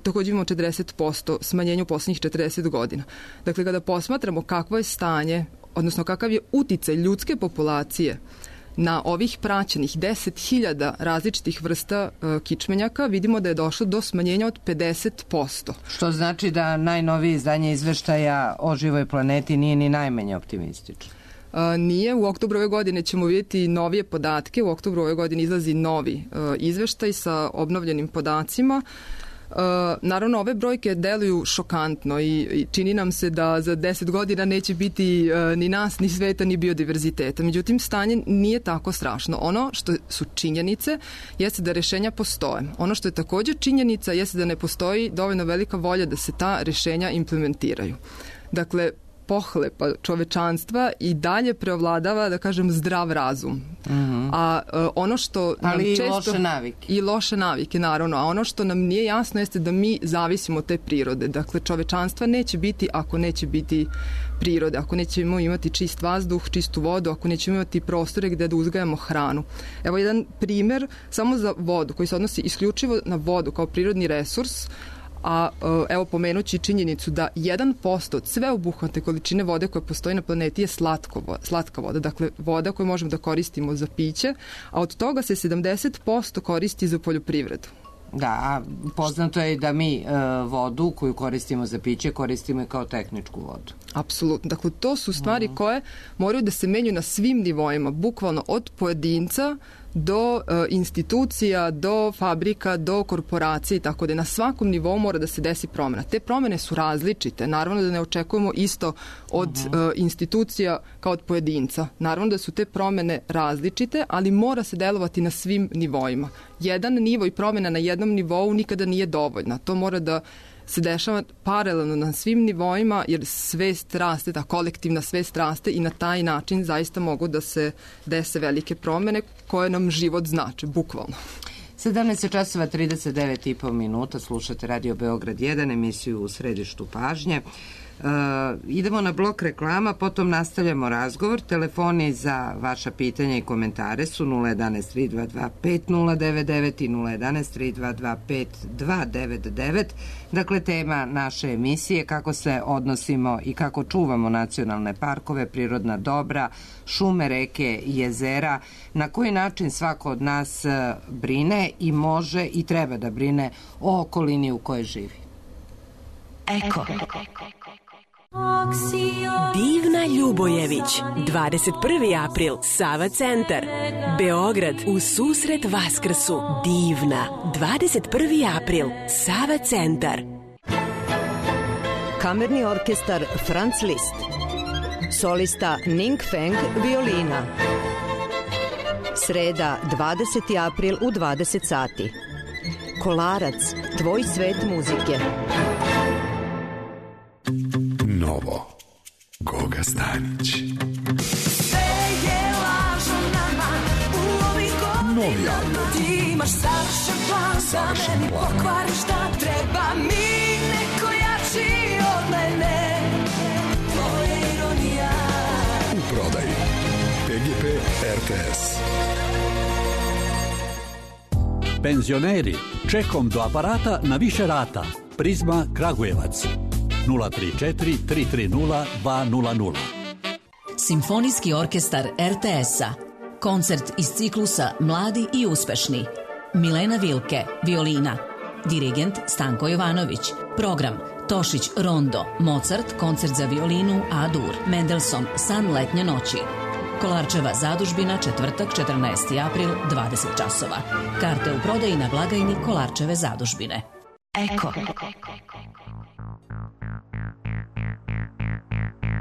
takođe imamo 40% smanjenja u poslednjih 40 godina. Dakle, kada posmatramo kakvo je stanje, odnosno kakav je uticaj ljudske populacije na ovih praćenih 10.000 različitih vrsta kičmenjaka, vidimo da je došlo do smanjenja od 50%. Što znači da najnovije izdanje izveštaja o živoj planeti nije ni najmanje optimistično. Nije. U oktobru ove godine ćemo vidjeti novije podatke. U oktobru ove godine izlazi novi izveštaj sa obnovljenim podacima. Naravno, ove brojke deluju šokantno i čini nam se da za 10 godina neće biti ni nas, ni sveta, ni biodiverziteta. Međutim, stanje nije tako strašno. Ono što su činjenice jeste da rešenja postoje. Ono što je također činjenica jeste da ne postoji dovoljno velika volja da se ta rešenja implementiraju. Dakle, pohlepa čovečanstva i dalje preovladava, da kažem, zdrav razum. A ono što nam ali često... i loše navike. I loše navike, naravno. A ono što nam nije jasno jeste da mi zavisimo od te prirode. Dakle, čovečanstva neće biti ako neće biti prirode, ako nećemo imati čist vazduh, čistu vodu, ako nećemo imati prostore gde da uzgajamo hranu. Evo jedan primer samo za vodu, koji se odnosi isključivo na vodu kao prirodni resurs, a evo pomenući činjenicu da 1% od sveobuhvatne količine vode koja postoji na planeti je slatka voda, dakle voda koju možemo da koristimo za piće, a od toga se 70% koristi za poljoprivredu. Da, a poznato je da mi vodu koju koristimo za piće koristimo i kao tehničku vodu. Apsolutno. Dakle, to su stvari koje moraju da se menjaju na svim nivoima, bukvalno od pojedinca do institucija, do fabrika, do korporacije i tako da na svakom nivou mora da se desi promena. Te promene su različite. Naravno da ne očekujemo isto od institucija kao od pojedinca. Naravno da su te promene različite, ali mora se delovati na svim nivoima. Jedan nivo i promena na jednom nivou nikada nije dovoljna. To mora da se dešava paralelno na svim nivoima, jer svest raste, ta kolektivna svest raste i na taj način zaista mogu da se dese velike promene koje nam život znače, bukvalno. 17:39 minuta, slušate Radio Beograd 1, emisiju U središtu pažnje. Idemo na blok reklama, potom nastavljamo razgovor. Telefoni za vaša pitanja i komentare su 011-322-5099 i 011-322-5299. Dakle, tema naše emisije kako se odnosimo i kako čuvamo nacionalne parkove, prirodna dobra, šume, reke, jezera, na koji način svako od nas brine i može i treba da brine o okolini u kojoj živi. Eko. Divna Ljubojević, 21. april, Sava centar, Beograd, u susret Vaskrsu. Divna, 21. april, Sava centar. Kamerni orkestar Franz Liszt, solista Ning Feng, violina. Sreda, 20. april u 20 sati. Kolarac, tvoj svet muzike. Novo, Goga Stanić. Novi album. Savršen plan. U prodaji PGP RTS. Penzioneri, čekom do aparata na više rata. Prizma Kragujevac. 034 330 200. Simfonijski orkestar RTS-a. Koncert iz ciklusa Mladi i uspešni. Milena Vilke, violina. Dirigent Stanko Jovanović. Program Tošić Rondo, Mozart, koncert za violinu A-dur. Mendelssohn, San letnje noći. Kolarčeva zadužbina, četvrtak, 14. april, 20 časova. Karte u prodaji na blagajni Kolarčeve zadužbine. Eko.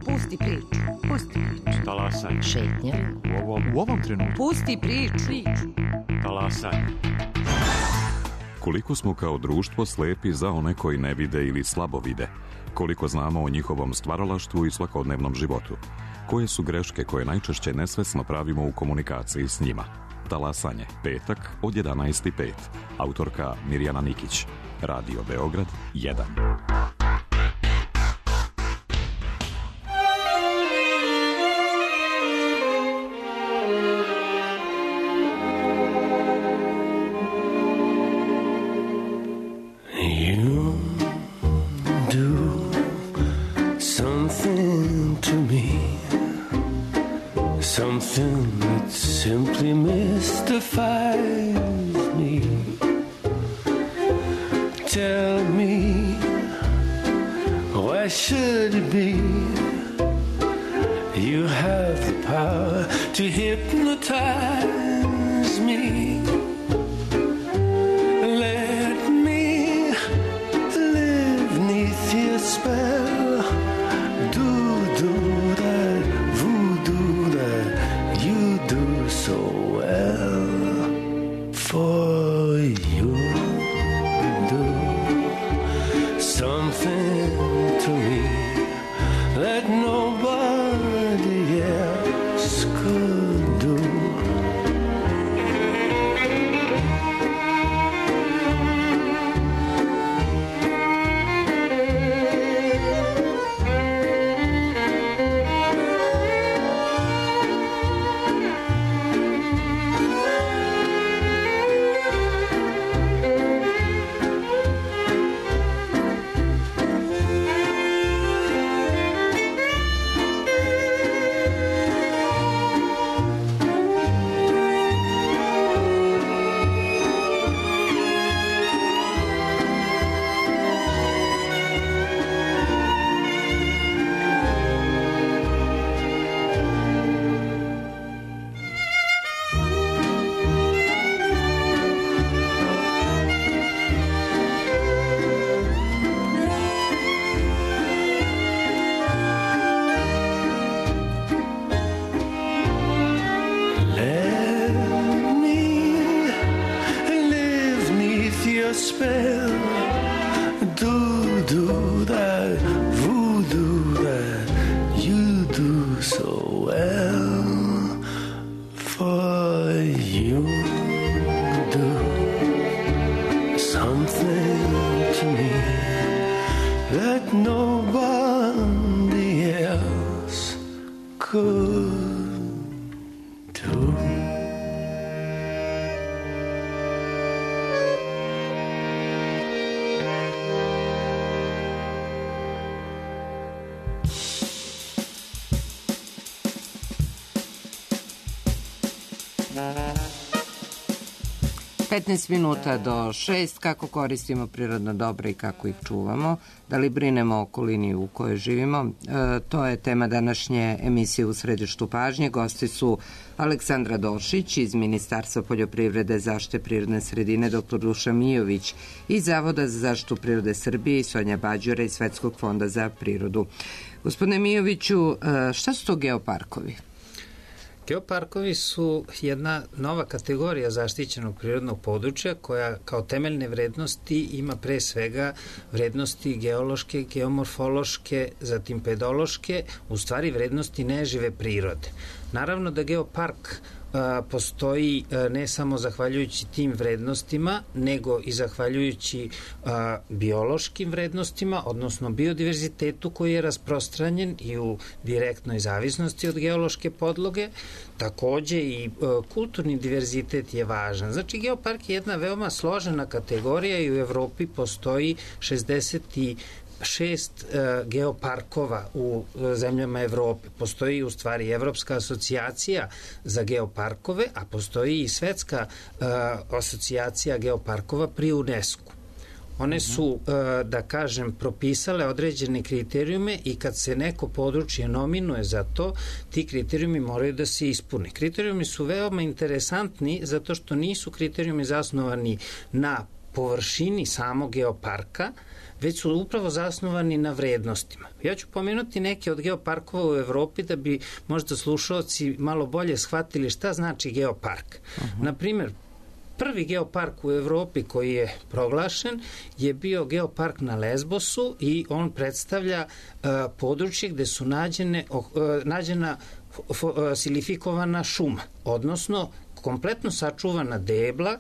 Pusti priču. Pusti priču. Talasaj. Šetnja. U ovom trenutku. Pusti priču. Talasaj. Koliko smo kao društvo slepi za one koji ne vide ili slabo vide? Koliko znamo o njihovom stvaralaštvu i svakodnevnom životu? Koje su greške koje najčešće nesvesno pravimo u komunikaciji s njima? Talasanje, petak od 11:05. Autorka Mirjana Nikić. Radio Beograd 1. Something that simply mystifies me. Tell me, why should it be? You have the power to hypnotize me. Let me live 'neath your spell. Do that voodoo that you do so well. For you do something to me that nobody else could do. Spell, do that voodoo that you do so well. For you do something to me that nobody else could do. 15 minuta do 6, kako koristimo prirodna dobra i kako ih čuvamo, da li brinemo o okolini u kojoj živimo, to je tema današnje emisije U središtu pažnje. Gosti su Aleksandra Došić iz Ministarstva poljoprivrede, zaštite prirodne sredine, dr. Dušan Mijović iz Zavoda za zaštitu prirode Srbije i Sonja Bađura iz Svetskog fonda za prirodu. Gospodine Mijoviću, šta su to geoparkovi? Geoparkovi su jedna nova kategorija zaštićenog prirodnog područja koja kao temeljne vrednosti ima pre svega vrednosti geološke, geomorfološke, zatim pedološke, u stvari vrednosti nežive prirode. Naravno da geopark postoji ne samo zahvaljujući tim vrednostima, nego i zahvaljujući biološkim vrednostima, odnosno biodiverzitetu koji je rasprostranjen i u direktnoj zavisnosti od geološke podloge. Takođe i kulturni diverzitet je važan. Znači, geopark je jedna veoma složena kategorija i u Evropi postoji 66 geoparkova u zemljama Evrope. Postoji u stvari Evropska asocijacija za geoparkove, a postoji i Svetska asocijacija geoparkova pri UNESCO. One su, da kažem, propisale određene kriterijume i kad se neko područje nominuje za to, ti kriterijumi moraju da se ispune. Kriterijumi su veoma interesantni zato što nisu kriterijumi zasnovani na površini samog geoparka, već su upravo zasnovani na vrednostima. Ja ću pomenuti neke od geoparkova u Evropi da bi možda slušalci malo bolje shvatili šta znači geopark. Naprimer, prvi geopark u Evropi koji je proglašen je bio geopark na Lesbosu i on predstavlja područje gde su nađena silifikovana šuma, odnosno kompletno sačuvana debla,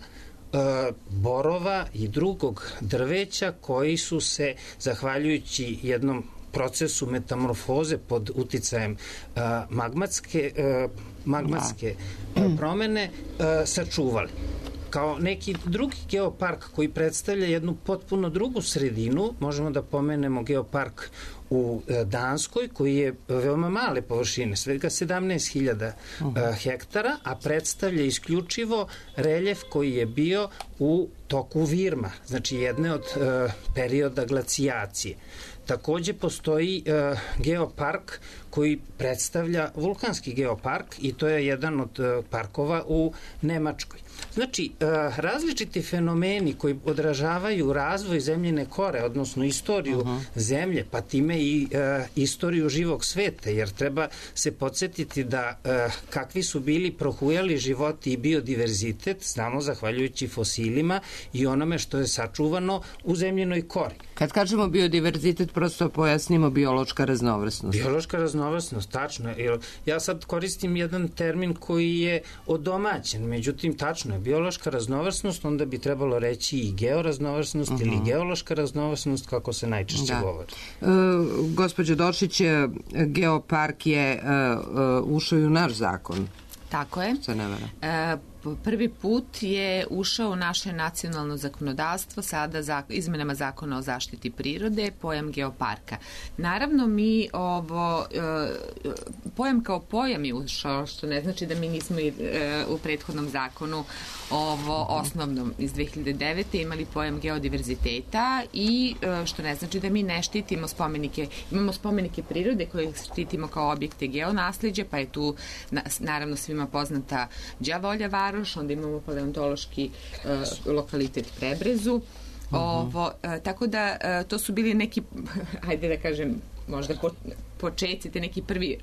borova i drugog drveća koji su se, zahvaljujući jednom procesu metamorfoze pod uticajem magmatske promene, sačuvali. Kao neki drugi geopark koji predstavlja jednu potpuno drugu sredinu, možemo da pomenemo geopark u Danskoj, koji je veoma male površine, svega 17.000 hektara, a predstavlja isključivo reljef koji je bio u toku Virma, znači jedne od perioda glacijacije. Takođe postoji geopark koji predstavlja vulkanski geopark i to je jedan od parkova u Nemačkoj. Znači, različiti fenomeni koji odražavaju razvoj zemljine kore, odnosno istoriju zemlje, pa time i istoriju živog sveta, jer treba se podsjetiti da kakvi su bili prohujali životi i biodiverzitet, znamo zahvaljujući fosilima i onome što je sačuvano u zemljinoj kori. Kad kažemo biodiverzitet, prosto pojasnimo biološka raznovrsnost. Biološka raznovrsnost, tačno. Ja sad koristim jedan termin koji je odomaćen, međutim, tačno je, biološka raznovrsnost, onda bi trebalo reći i georaznovrsnost ili geološka raznovrsnost, kako se najčešće govori. Gospođo Došić, geopark je ušao i u naš zakon. Tako je. Prvi put je ušao u naše nacionalno zakonodavstvo sada izmenama zakona o zaštiti prirode, pojam geoparka. Naravno, mi pojam kao pojam je ušao, što ne znači da mi nismo u prethodnom zakonu osnovnom iz 2009. imali pojam geodiverziteta i što ne znači da mi ne štitimo spomenike. Imamo spomenike prirode koje štitimo kao objekte geonasleđa, pa je tu naravno svima poznata Đavolja varoš, onda imamo paleontološki lokalitet Prebrezu. Tako da to su bili neki, ajde da kažem, možda počeci, te neki prvi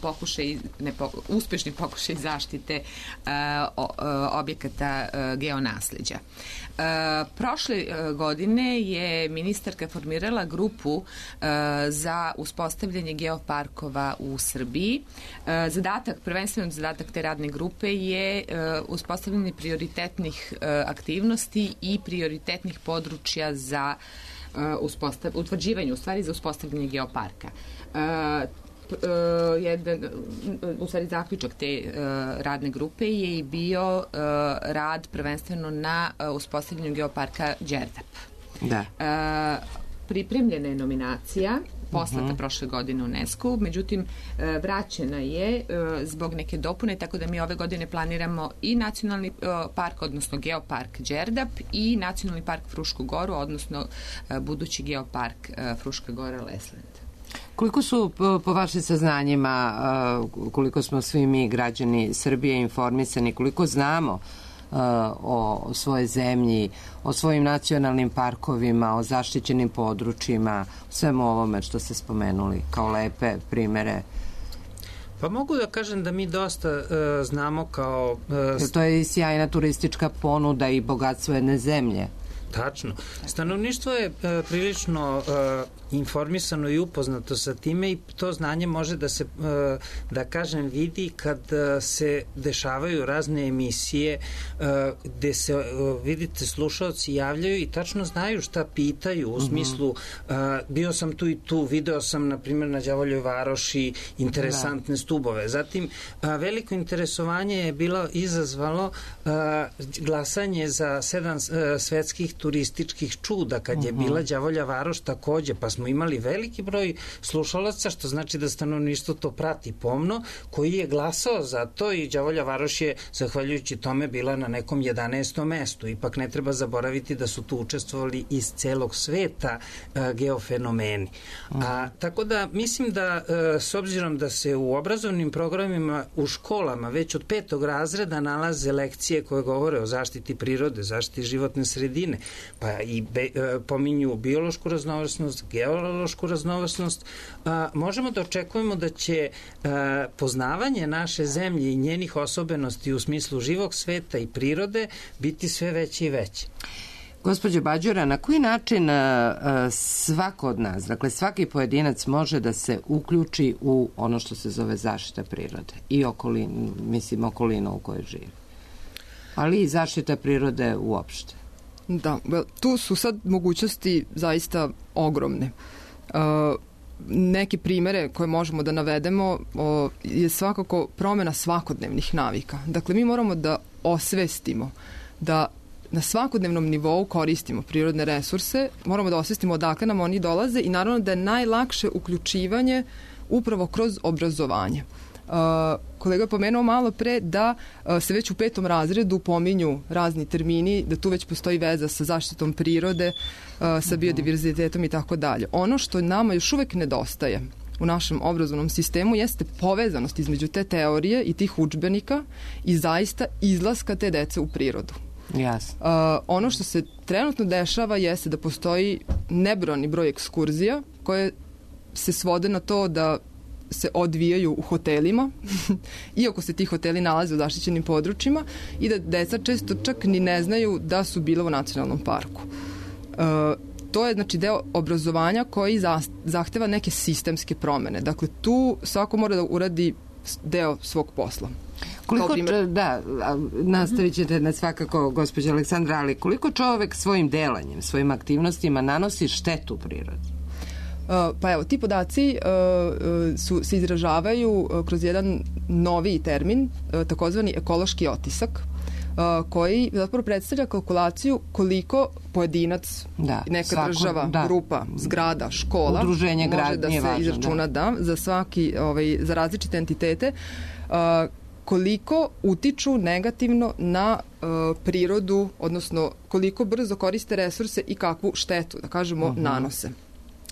pokušaj, uspešni pokušaj zaštite objekata geonasleđa. Prošle godine je ministarka formirala grupu za uspostavljanje geoparkova u Srbiji. Prvenstveno zadatak te radne grupe je uspostavljanje prioritetnih aktivnosti i prioritetnih područja za utvrđivanje, u stvari za uspostavljanje geoparka. U stvari zaključak te radne grupe je i bio rad prvenstveno na uspostavljanju geoparka Đerdap. Pripremljena je nominacija poslata prošle godine u UNESCO, međutim vraćena je zbog neke dopune, tako da mi ove godine planiramo i nacionalni park, odnosno geopark Đerdap i nacionalni park Frušku Goru, odnosno budući geopark Fruška Gora Lesland. Koliko su po vašim saznanjima, koliko smo svi mi građani Srbije informisani, koliko znamo o svojoj zemlji, o svojim nacionalnim parkovima, o zaštićenim područjima, svemu ovome što ste spomenuli kao lepe primere? Pa mogu da kažem da mi dosta znamo kao... To je i sjajna turistička ponuda i bogatstvo jedne zemlje. Tačno. Stanovništvo je prilično informisano i upoznato sa time i to znanje može da se, da kažem, vidi kad se dešavaju razne emisije gde se, vidite, slušalci javljaju i tačno znaju šta pitaju u smislu bio sam tu i tu, video sam na primjer na Đavoljoj varoši interesantne stubove. Zatim, veliko interesovanje je bilo izazvalo glasanje za 7 svetskih turističkih čuda kad je bila Đavolja varoš takođe, pa smo imali veliki broj slušalaca, što znači da stanovništvo to prati pomno, koji je glasao za to i Đavolja varoš je, zahvaljujući tome, bila na nekom 11. mestu. Ipak ne treba zaboraviti da su tu učestvovali iz celog sveta geofenomeni. Tako da mislim da s obzirom da se u obrazovnim programima u školama već od 5. razreda nalaze lekcije koje govore o zaštiti prirode, zaštiti životne sredine, pa i pominju biološku raznovrsnost, geološku raznovrsnost, možemo da očekujemo da će poznavanje naše zemlje i njenih osobenosti u smislu živog sveta i prirode biti sve veće i veće. Gospođo Bađura, na koji način svako od nas, dakle svaki pojedinac može da se uključi u ono što se zove zaštita prirode i okolina u kojoj živi, ali i zaštita prirode uopšte? Da, tu su sad mogućnosti zaista ogromne. Neke primere koje možemo da navedemo je svakako promjena svakodnevnih navika. Dakle, mi moramo da osvestimo da na svakodnevnom nivou koristimo prirodne resurse, moramo da osvestimo odakle nam oni dolaze i naravno da je najlakše uključivanje upravo kroz obrazovanje. Kolega je pomenuo malo pre da se već u 5. razredu pominju razni termini, da tu već postoji veza sa zaštitom prirode, sa biodiverzitetom i tako dalje. Ono što nama još uvek nedostaje u našem obrazovnom sistemu jeste povezanost između te teorije i tih udžbenika i zaista izlaska te dece u prirodu. Jasno. Ono što se trenutno dešava jeste da postoji nebrojani broj ekskurzija koje se svode na to da se odvijaju u hotelima, iako se ti hoteli nalaze u zaštićenim područjima i da deca često čak ni ne znaju da su bila u nacionalnom parku. To je znači deo obrazovanja koji zahteva neke sistemske promene. Dakle, tu svako mora da uradi deo svog posla. Nastavit ćete na svakako, gospođa Aleksandra, ali koliko čovek svojim delanjem, svojim aktivnostima nanosi štetu prirodi? Pa evo, ti podaci se izražavaju kroz jedan noviji termin, takozvani ekološki otisak, koji zapravo predstavlja kalkulaciju koliko pojedinac, neka država, grupa, zgrada, škola, udruženje može da se izračuna za svaki, za različite entitete, koliko utiču negativno na prirodu, odnosno koliko brzo koriste resurse i kakvu štetu, da kažemo, nanose.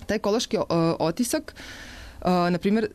Taj ekološki otisak, na primjer,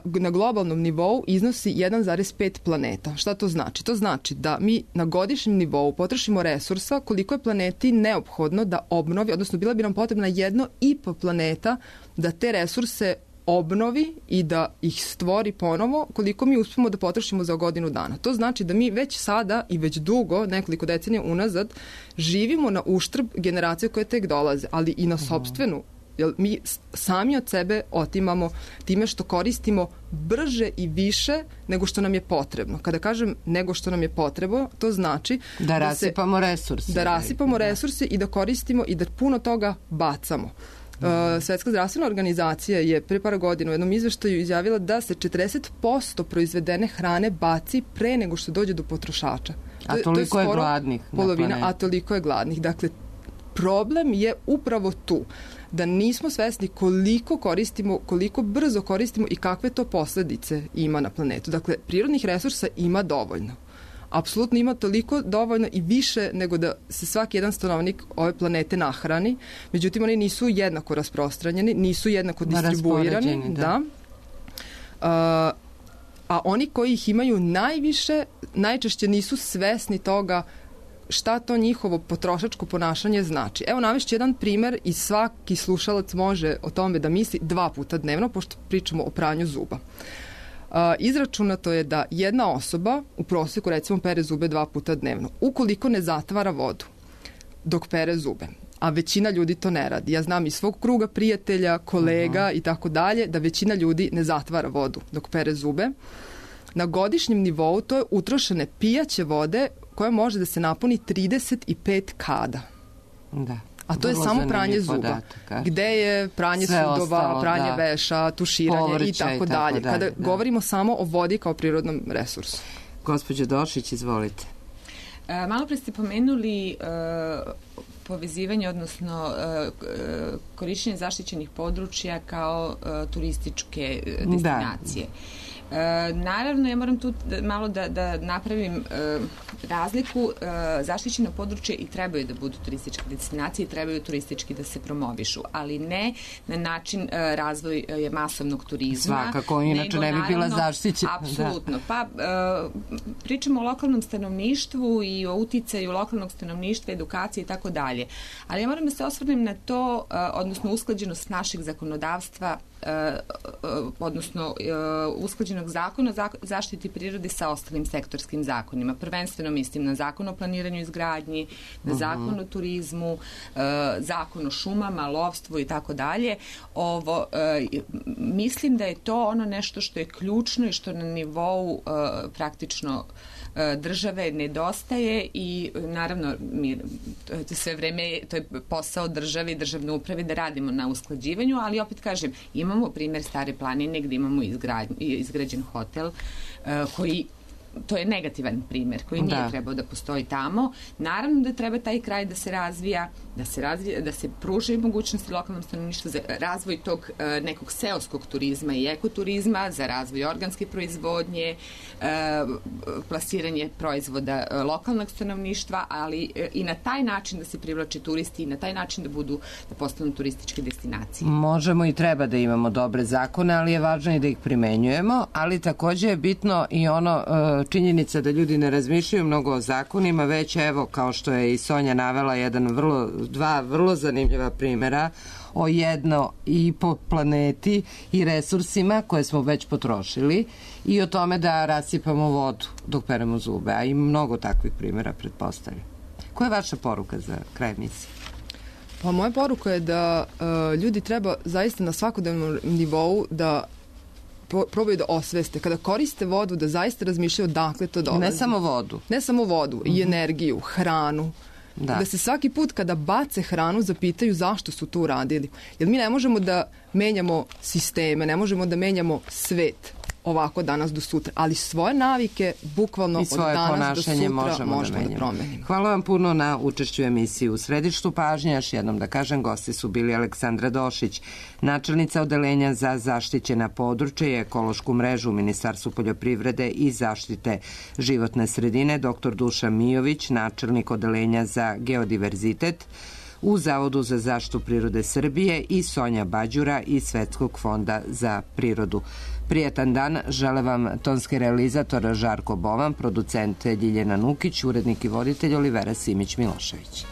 na globalnom nivou iznosi 1,5 planeta. Šta to znači? To znači da mi na godišnjem nivou potrošimo resursa koliko je planeti neophodno da obnovi, odnosno bila bi nam potrebna 1,5 planeta da te resurse obnovi i da ih stvori ponovo koliko mi uspemo da potrošimo za godinu dana. To znači da mi već sada i već dugo, nekoliko decenija unazad, živimo na uštrb generacije koje tek dolaze, ali i na sopstvenu. Jer mi sami od sebe otimamo time što koristimo brže i više nego što nam je potrebno. Kada kažem nego što nam je potrebno, to znači da rasipamo resurse. Da rasipamo resurse i da koristimo i da puno toga bacamo. Svetska zdravstvena organizacija je pre par godina u jednom izveštaju izjavila da se 40% proizvedene hrane baci pre nego što dođe do potrošača. A toliko je gladnih. A toliko je gladnih. Dakle, problem je upravo tu. Da nismo svesni koliko koristimo, koliko brzo koristimo i kakve to posledice ima na planetu. Dakle, prirodnih resursa ima dovoljno. Apsolutno ima toliko dovoljno i više nego da se svaki jedan stanovnik ove planete nahrani. Međutim, oni nisu jednako rasprostranjeni, nisu jednako distribuirani. Da. A oni koji ih imaju najviše, najčešće nisu svesni toga šta to njihovo potrošačko ponašanje znači. Evo, navešću jedan primer i svaki slušalac može o tome da misli 2 puta dnevno, pošto pričamo o pranju zuba. Izračunato je da jedna osoba u prosjeku recimo pere zube 2 puta dnevno. Ukoliko ne zatvara vodu dok pere zube, a većina ljudi to ne radi. Ja znam iz svog kruga prijatelja, kolega i tako dalje, da većina ljudi ne zatvara vodu dok pere zube. Na godišnjem nivou to je utrošene pijaće vode koja može da se napuni 35 kada. Da. A to je samo pranje zuba. Gde je pranje sudova, pranje veša, tuširanje i tako dalje. Kada govorimo samo o vodi kao prirodnom resursu. Gospođo Došić, izvolite. Malo pre ste pomenuli povezivanje, odnosno korišćenje zaštićenih područja kao turističke destinacije. Naravno, ja moram tu malo da napravim razliku. Zaštićeno područje i trebaju da budu turističke destinacije i trebaju turistički da se promovišu, ali ne na način razvoj masovnog turizma. Svakako, inače ne bi bila zaštićena. Apsolutno. Pa pričamo o lokalnom stanovništvu i o uticaju lokalnog stanovništva, edukacije i tako dalje. Ali ja moram da se osvrnem na to, odnosno usklađenost našeg zakonodavstva, odnosno usklađenog zakona o zaštiti prirode sa ostalim sektorskim zakonima. Prvenstveno mislim na zakon o planiranju i izgradnji, na zakon o turizmu, zakon o šumama, lovstvu i tako dalje. Mislim da je to ono nešto što je ključno i što na nivou praktično države nedostaje i naravno sve vreme to je posao države i državne uprave da radimo na usklađivanju, ali opet kažem, imamo primjer Stare planine gdje imamo izgrađen hotel koji to je negativan primjer koji nije trebao da postoji tamo. Naravno da treba taj kraj da se razvija, da se pruže mogućnosti lokalnom stanovništvu za razvoj tog nekog seoskog turizma i ekoturizma, za razvoj organske proizvodnje, plasiranje proizvoda lokalnog stanovništva, ali i na taj način da se privlače turisti i na taj način da postanu turističke destinacije. Možemo i treba da imamo dobre zakone, ali je važno i da ih primenjujemo, ali takođe je bitno i ono činjenica da ljudi ne razmišljaju mnogo o zakonima, već evo, kao što je i Sonja navela, dva vrlo zanimljiva primjera o 1,5 planeti i resursima koje smo već potrošili i o tome da rasipamo vodu dok peremo zube, a i mnogo takvih primjera pretpostavljam. Koja je vaša poruka za kraj emisije? Pa moja poruka je da ljudi treba zaista na svakodnevnom nivou da probaju da osveste. Kada koriste vodu, da zaista razmišljaju odakle to dolazi. Ne samo vodu. Ne samo vodu, i energiju, hranu. Da se svaki put kada bace hranu zapitaju zašto su to uradili. Jer mi ne možemo da menjamo sisteme, ne možemo da menjamo svet ovako danas do sutra, ali svoje navike bukvalno od danas do sutra možemo da promenimo. Hvala vam puno na učešću u emisiji. U središtu pažnje, još jednom da kažem, gosti su bili Aleksandra Došić, načelnica Odeljenja za zaštićena područja i ekološku mrežu u Ministarstvu poljoprivrede i zaštite životne sredine, dr. Dušan Mijović, načelnik Odeljenja za geodiverzitet u Zavodu za zaštitu prirode Srbije i Sonja Bađura iz Svetskog fonda za prirodu. Prijetan dan, žele vam tonski realizator Žarko Bovan, producent Ljiljana Nukić, urednik i voditelj Olivera Simić-Milošević.